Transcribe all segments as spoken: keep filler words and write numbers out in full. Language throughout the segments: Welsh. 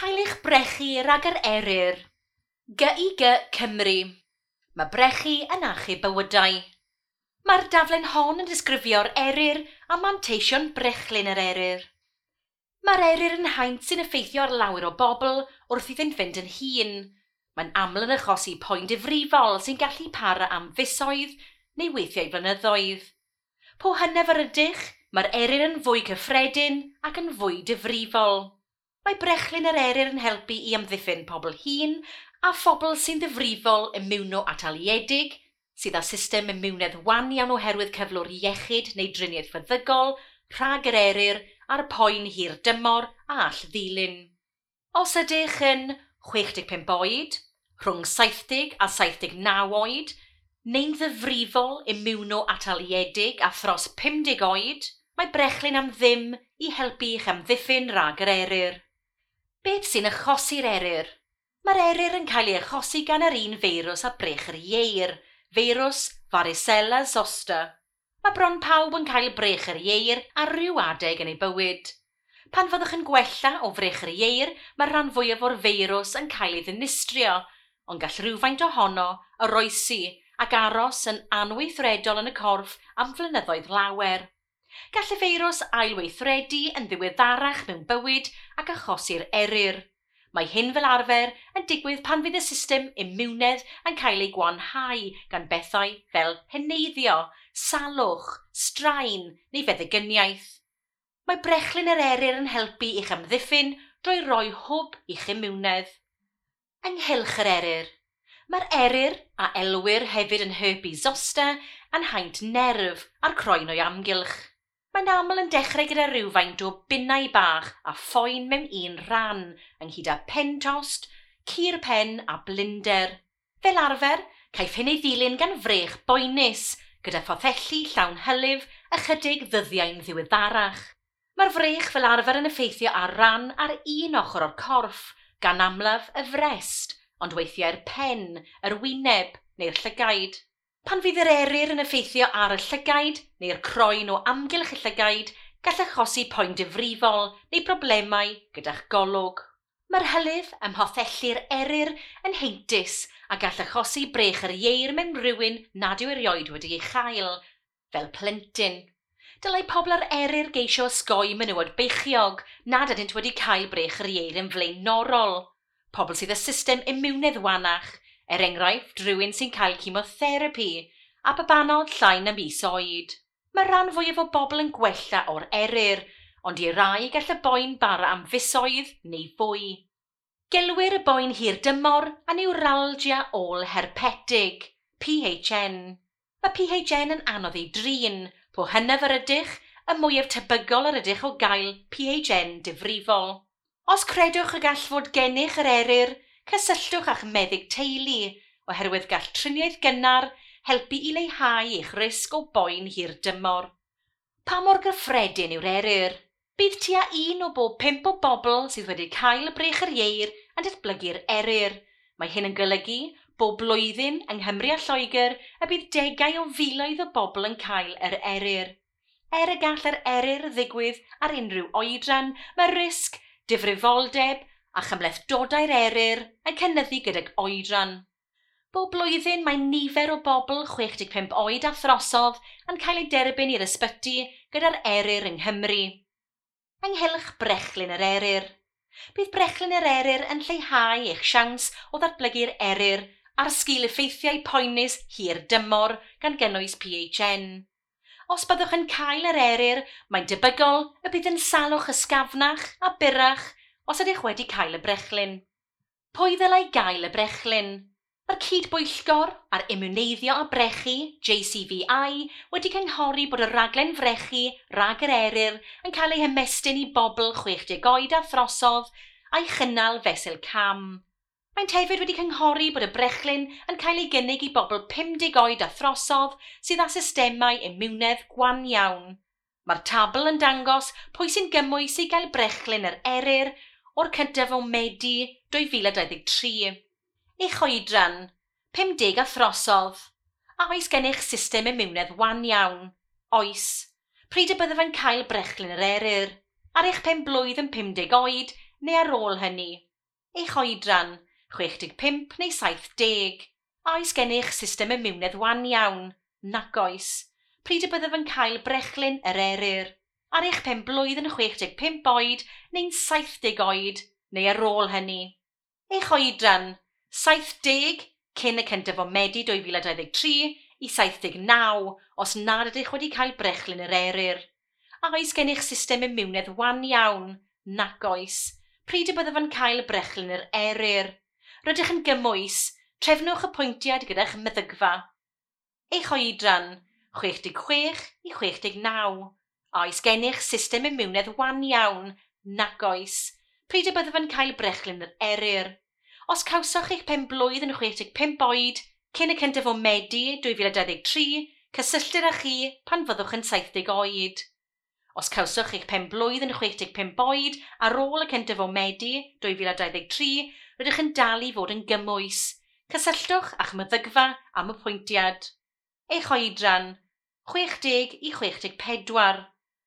Cael eich brechu rhag yr eryr. G I G Cymru. Mae brechu yn achub bywydau. Mae'r daflen hon yn disgrifio'r eryr a manteision brechlyn yr eryr. Mae'r eryr yn haint sy'n effeithio ar lawer o bobl wrth iddynt fynd yn hŷn. Mae'n aml yn achosi poen difrifol sy'n gallu para am fisoedd neu weithiau flynyddoedd. Po hynaf yr ydych, mae'r eryr yn fwy cyffredin ac yn fwy difrifol. Mae brechlyn yr eryr yn helpu i amddiffyn pobl hŷn a phobl sy'n ddifrifol imiwno-ataliedig, sydd â system imiwnedd wan iawn oherwydd cyflwr iechyd neu driniaeth feddygol, rhag yr eryr a'r poen hir dymor a all ddilyn. Os ydych yn chwech deg pump oed, rhwng saith deg a saith deg naw oed, neu'n ddifrifol imiwno-ataliedig a thros pum deg oed, mae brechlyn am ddim i helpu i'ch amddiffyn rhag yr eryr. Beth sy'n achosi'r eryr? Mae'r eryr yn cael ei achosi gan yr un feirws a brech yr ieir, feirws varicella zoster. Mae bron pawb yn cael brech yr ieir ar ryw adeg yn ei bywyd. Pan fyddwch yn gwella o frech yr ieir, mae'r rhan fwyaf o'r feirws yn cael ei ddinistrio, ond gall rhywfaint ohono oroesi ac aros yn anweithredol yn y corff am flynyddoedd lawer. Gall y feirws ailweithredu yn ddiweddarach mewn bywyd ac achosi'r eryr. Mae hyn fel arfer yn digwydd pan fydd y system imiwnedd yn cael ei gwanhau gan bethau fel heneiddio, salwch, straen neu feddygyniaeth. Mae brechlyn yr eryr yn helpu i'ch amddiffyn drwy roi hwb i'ch imiwnedd. Ynghylch yr eryr. Mae'r eryr, a elwir hefyd yn herpes zoster, yn haint nerf a'r croen o'i amgylch. Mae'n aml yn dechrau gyda rhywfaint o binnau bach a phoen mewn un rhan, ynghyd â pen tost, cur pen a blinder. Fel arfer, caiff hyn ei ddilyn gan frech boenus, gyda phothelli llawn hylif ychydig ddyddiau'n ddiweddarach. Mae'r frech fel arfer yn effeithio ar ran ar un ochr o'r corff, gan amlaf y frest, ond weithiau'r pen, yr wyneb neu'r llygaid. Pan fydd yr eryr yn effeithio ar y llygaid neu'r croen o amgylch y llygaid, gall achosi poen difrifol neu broblemau gyda'ch golwg. Mae'r hylif ym mhothelli'r eryr yn heintus a gall achosi brech yr ieir mewn rhywun nad yw erioed wedi ei chael, fel plentyn. Dylai pobl ar eryr geisio osgoi menywod beichiog nad ydynt wedi cael brech yr ieir yn flaenorol. Pobl sydd â system imiwnedd wanach, er enghraifft rhywun sy'n cael chemotherapi, a babanod llai na mis oed. Mae rhan fwyaf o bobl yn gwella o'r eryr, ond i rai gall y boen bara am fisoedd neu fwy. Gelwir y boen hir dymor a neuralgia ôl-herpetig, P H N. Mae P H N yn anodd ei drin, po hynaf yr ydych, y mwyaf tebygol yr ydych o gael P H N difrifol. Os credwch y gall fod gennych yr eryr, cysylltwch â'ch meddyg teulu, oherwydd gall triniaeth gynnar helpu i leihau eich risg o boen hir dymor. Pa mor gyffredin yw'r eryr? Bydd tua un o bob pump o bobl sydd wedi cael brech yr ieir yn datblygu'r eryr. Mae hyn yn golygu bob blwyddyn yng Nghymru a Lloegr y bydd degau o filoedd o bobl yn cael yr eryr. Er y gall yr eryr ddigwydd ar unrhyw oedran, mae risg, difrifoldeb a chymhlethdodau'r eryr yn cynyddu gydag oedran. Bob blwyddyn mae nifer o bobl chwech deg pump oed a throsodd yn cael eu derbyn i'r ysbyty gyda'r eryr yng Nghymru. Ynghylch brechlyn yr eryr. Bydd brechlyn yr eryr yn lleihau eich siawns o ddatblygu'r eryr a'r sgil effeithiau poenus hir dymor gan gynnwys P H N. Os byddwch yn cael yr eryr, mae'n debygol y bydd yn salwch ysgafnach a byrrach os ydych wedi cael y brechlyn. Pwy ddylai gael y brechlyn? Mae'r cydbwyllgor ar imiwneiddio a brechu, J C V I, wedi cynghori bod y raglen frechu rhag yr eryr yn cael ei hymestyn i bobl chwech deg oed a throsodd a'i chynnal fesul cam. Maent hefyd wedi cynghori bod y brechlyn yn cael ei gynnig i bobl pum deg oed a throsodd sydd â systemau imiwnedd gwan iawn. Mae'r tabl yn dangos pwy sy'n gymwys i gael brechlyn yr eryr o'r cyntaf o Medi dwy fil a dau ddeg tri. Eich oedran, pum deg a throsodd. A oes gennych system imiwnedd wan iawn? Oes. Pryd y byddaf yn cael brechlyn yr eryr? Ar eich pen blwydd yn pum deg oed neu ar ôl hynny? Eich oedran, chwech deg pump neu saith deg. A oes gennych system imiwnedd wan iawn? Nac oes. Pryd y byddaf yn cael brechlyn yr eryr? Ar eich pen blwydd yn chwech deg pump oed neu'n saith deg oed, neu ar ôl hynny. Eich oedran, saith deg cyn y cyntaf o Medi dwy fil a dau ddeg tri i saith deg naw os nad ydych wedi cael brechlyn yr eryr. A oes gennych system imiwnedd wan iawn? Nac oes. Pryd y byddaf yn cael brechlyn yr eryr? Rydych yn gymwys. Trefnwch apwyntiad gyda'ch meddygfa. Eich oedran, chwech deg chwech i chwech deg naw. A oes gennych system imiwnedd wan iawn? Nac oes. Pryd y byddaf yn cael brechlyn yr eryr? Os cawsoch eich pen blwydd yn chwech deg pump oed, cyn y cyntaf o Medi dwy fil a dau ddeg tri, cysylltir â chi pan fyddwch yn saith deg oed. Os cawsoch eich pen blwydd yn chwech deg pump oed ar ôl y cyntaf o Medi dwy fil a dau ddeg tri, rydych yn dal i fod yn gymwys. Cysylltwch â'ch meddygfa am apwyntiad. Eich oedran, chwech deg i chwech deg pedwar.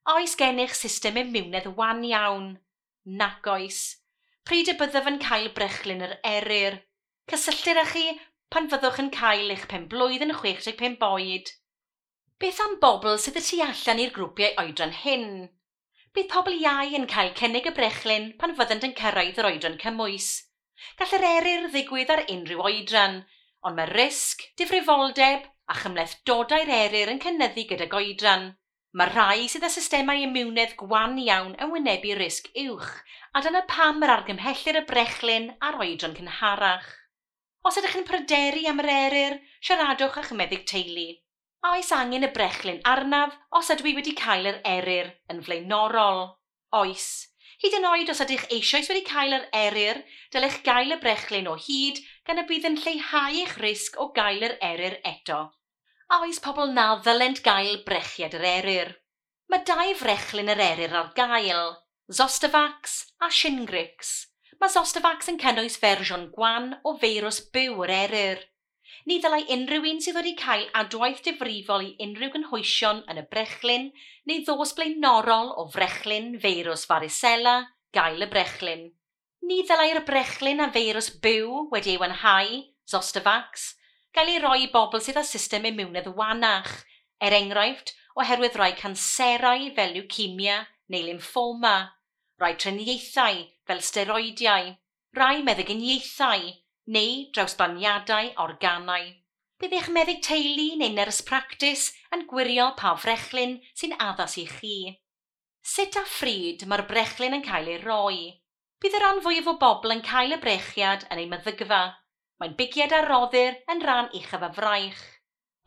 A oes gennych system imiwnedd wan iawn? Nac oes. Pryd y byddaf yn cael brechlyn yr eryr? Cysylltir â chi pan fyddwch yn cael eich pen blwydd yn chwech deg pump oed. Beth am bobl sydd y tu allan i'r grwpiau oedran hyn? Bydd pobl iau yn cael cynnig y brechlyn pan fyddant yn cyrraedd yr oedran cymwys. Gall yr eryr ddigwydd ar unrhyw oedran, ond mae risg, difrifoldeb a chymhlethdodau'r eryr yn cynyddu gydag oedran. Mae rhai sydd â systemau imiwnedd gwan iawn yn wynebu risg uwch, a dyna pam yr argymhellir y brechlyn ar oedran cynharach. Os ydych yn pryderu am yr eryr, siaradwch â'ch meddyg teulu. A oes angen y brechlyn arnaf os ydw i wedi cael yr eryr yn flaenorol? Oes. Hyd yn oed os ydych eisoes wedi cael yr eryr, dylech gael y brechlyn o hyd gan y bydd yn lleihau eich risg o gael yr eryr eto. A oes pobl na ddylent gael brechiad yr eryr? Mae dau frechlyn yr eryr ar gael, Zostavax a Shingrix. Mae Zostavax yn cynnwys fersiwn gwan o feirws byw yr eryr. Ni ddylai unrhyw un sydd wedi cael adwaith difrifol i unrhyw gynhwysion yn y brechlyn neu ddos blaenorol o frechlyn feirws varicella gael y brechlyn. Ni ddylai'r brechlyn a feirws byw wedi ei wanhau, Zostavax, gael ei roi i bobl sydd â system imiwnedd wanach, er enghraifft oherwydd rhai canserau fel leukaemia neu lymffoma, rhai triniaethau fel steroidiau, rhai meddyginiaethau neu drawsblaniadau organau. Bydd eich meddyg teulu neu nyrs practis yn gwirio pa frechlyn sy'n addas i chi. Sut a phryd mae'r brechlyn yn cael ei roi? Bydd y rhan fwyaf o bobl yn cael y brechiad yn ei meddygfa. Mae'n bigiad a roddir yn rhan uchaf y fraich.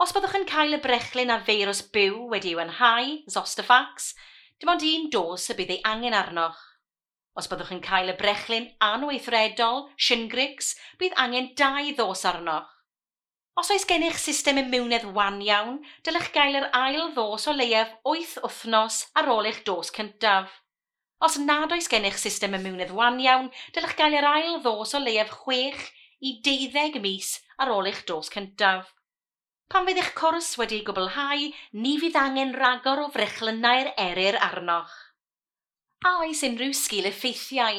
Os byddwch yn cael y brechlyn a feirws byw wedi ei wanhau, Zostavax, dim ond un dos y bydd ei angen arnoch. Os byddwch yn cael y brechlyn anweithredol, Shingrix, bydd angen dau ddos arnoch. Os oes gennych system imiwnedd wan iawn, dylech gael yr ail ddos o leiaf wyth wythnos ar ôl eich dos cyntaf. Os nad oes gennych system imiwnedd wan iawn, dylech gael yr ail ddos o leiaf chwech i deuddeg mis ar ôl eich dos cyntaf. Pan fydd eich cwrs wedi'i gwblhau, ni fydd angen rhagor o frechlynnau'r eryr arnoch. A oes unrhyw sgil-effeithiau?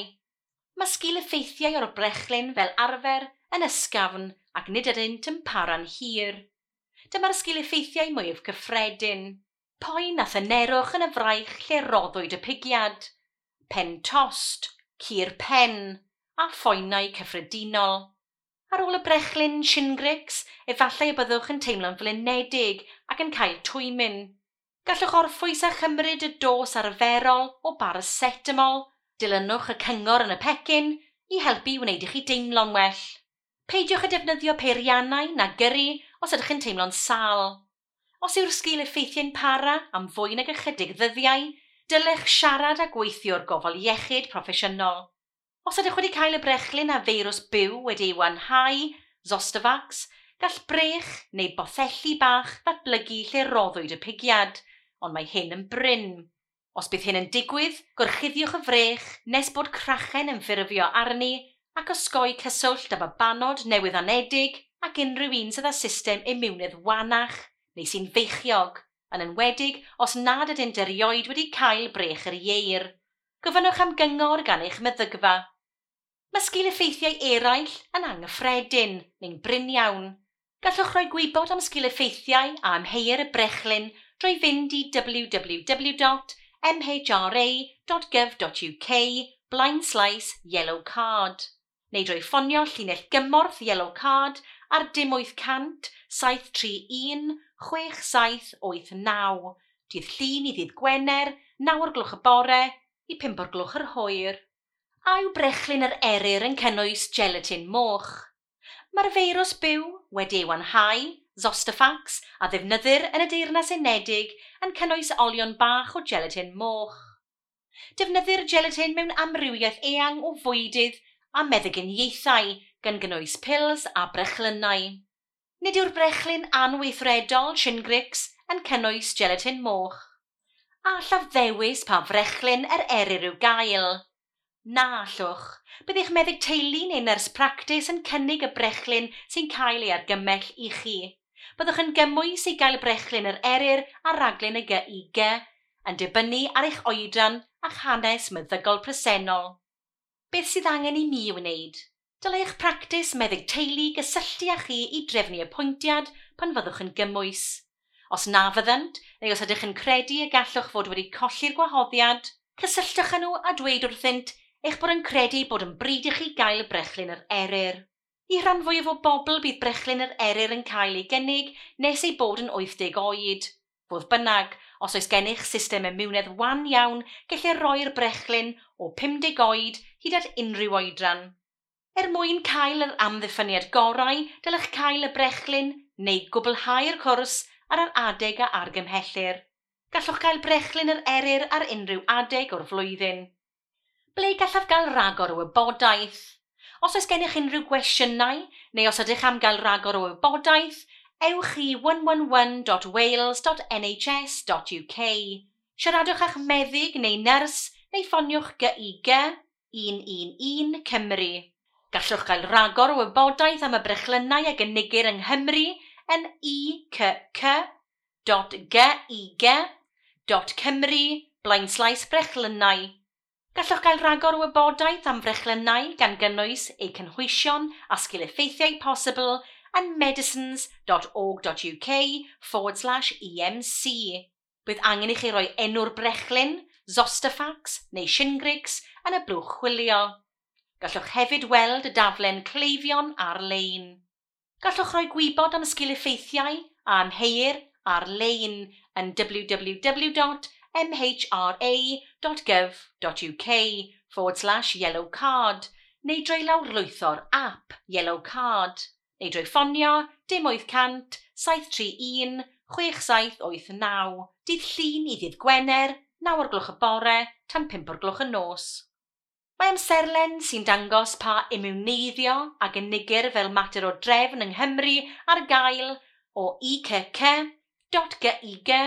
Mae sgil-effeithiau o'r brechlyn fel arfer yn ysgafn ac nid ydynt yn para'n hir. Dyma'r sgil-effeithiau mwyaf cyffredin. Poen a thynerwch yn y fraich lle roddwyd y pigiad, pen tost, cur pen a phoenau cyffredinol. Ar ôl y brechlyn Shingrix, efallai y byddwch yn teimlo'n flinedig ac yn cael twymyn. Gallwch orffwys a chymryd y dos arferol o paracetamol, dilynwch y cyngor yn y pecyn i helpu i wneud i chi deimlo'n well. Peidiwch â defnyddio peiriannau na gyrru os ydych yn teimlo'n sâl. Os yw'r sgil-effeithiau'n para am fwy nag ychydig ddyddiau, dylech siarad â gweithiwr gofal iechyd proffesiynol. Os ydych wedi cael y brechlyn a feirws byw wedi ei wanhau, Zostavax, gall brech neu bothelli bach ddatblygu lle roddwyd y pigiad, ond mae hyn yn brin. Os bydd hyn yn digwydd, gorchuddiwch y frech nes bod crachen yn ffurfio arni ac osgoi cyswllt â babanod newydd anedig ac unrhyw un sydd â system imiwnedd wanach neu sy'n feichiog, yn enwedig os nad ydynt erioed wedi cael brech yr ieir. Gofynnwch am gyngor gan eich meddygfa. Mae sgil-effeithiau eraill yn anghyffredin neu'n brin iawn. Gallwch roi gwybod am sgil-effeithiau a amheuir y brechlyn drwy fynd i w w w dot m h r a dot gov dot u k blaenslaes yellow card neu drwy ffonio llinell gymorth Yellow Card ar dim wyth cant saith tri un chwech saith wyth naw, dydd Llun i ddydd Gwener, naw o'r gloch y bore i pump o'r gloch yr hwyr. A yw brechlyn yr eryr yn cynnwys gelatin moch? Mae'r feirws byw wedi ei wanhau, Zostavax, a ddefnyddir yn y Deyrnas Unedig yn cynnwys olion bach o gelatin moch. Defnyddir gelatin mewn amrywiaeth eang o fwydydd a meddyginiaethau, gan gynnwys pils a brechlynnau. Nid yw'r brechlyn anweithredol Shingrix yn cynnwys gelatin moch. A allaf ddewis pa frechlyn yr eryr i'w gael? Na allwch. Bydd eich meddyg teulu neu nyrs practis yn cynnig y brechlyn sy'n cael ei argymell i chi. Byddwch yn gymwys i gael brechlyn yr eryr ar raglen y G I G, yn dibynnu ar eich oedran a'ch hanes meddygol presennol. Beth sydd angen i mi wneud? Dylai eich practis meddyg teulu gysylltu â chi i drefnu apwyntiad pan fyddwch yn gymwys. Os na fyddant, neu os ydych yn credu y gallwch fod wedi colli'r gwahoddiad, cysylltwch â nhw a dweud wrthynt eich bod yn credu bod yn bryd i chi gael brechlyn yr eryr. I rhan fwyaf o bobl, bydd brechlyn yr eryr yn cael ei gynnig nes ei bod yn wyth deg oed. Fodd bynnag, os oes gennych system imiwnedd wan iawn, gellir roi'r brechlyn o pum deg oed hyd at unrhyw oedran. Er mwyn cael yr amddiffyniad gorau, dylech cael y brechlyn neu gwblhau'r cwrs ar yr adeg a argymhellir. Gallwch gael brechlyn yr eryr ar unrhyw adeg o'r flwyddyn. Ble gallaf gael rhagor o wybodaeth? Os oes gennych unrhyw gwestiynau, neu os ydych am gael rhagor o wybodaeth, ewch i one one one dot wales dot N H S dot U K. Siaradwch â'ch meddyg neu nyrs neu ffoniwch G I G un un un Cymru. Gallwch gael rhagor o wybodaeth am y brechlynnau a gynigir yng Nghymru yn I C C dot G I G dot Cymru blaenslaes brechlynnau. Gallwch gael rhagor o wybodaeth am frechlynnau, gan gynnwys eu cynhwysion a sgil-effeithiau posibl, yn medicines dot org dot U K forward slash E M C. Bydd angen i chi roi enw'r brechlyn, Zostavax neu Shingrix, yn y blwch chwilio. Gallwch hefyd weld y daflen cleifion ar-lein. Gallwch roi gwybod am sgil-effeithiau a amheuir ar-lein yn w w w dot m h r a dot gov dot U K forward slash yellow card neu drwy lawrlwytho'r app Yellow Card neu drwy ffonio dim wyth cant saith tri un chwech saith wyth naw, dydd Llun i ddydd Gwener, naw o'r gloch y bore tan pump o'r gloch y nos. Mae amserlen sy'n dangos pa imiwneiddio a gynigir fel mater o drefn yng Nghymru ar gael o I C C dot G I G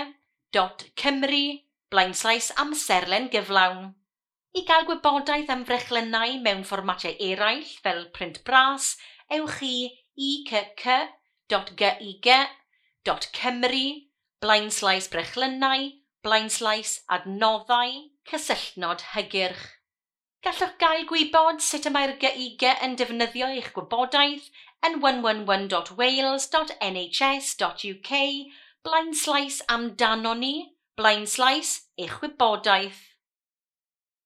dot Cymru blaenslaes amserlen gyflawn. I gael gwybodaeth am frechlynnau mewn fformatiau eraill fel print bras, ewch i I C C dot G I G dot Cymru blaenslaes brechlynnau blaenslaes adnoddau cysylltnod hygyrch. Gallwch gael gwybod sut y mae'r G I G yn defnyddio eich gwybodaeth yn one one one dot wales dot N H S dot U K blaenslaes amdano ni blaenslaes eich wybodaeth.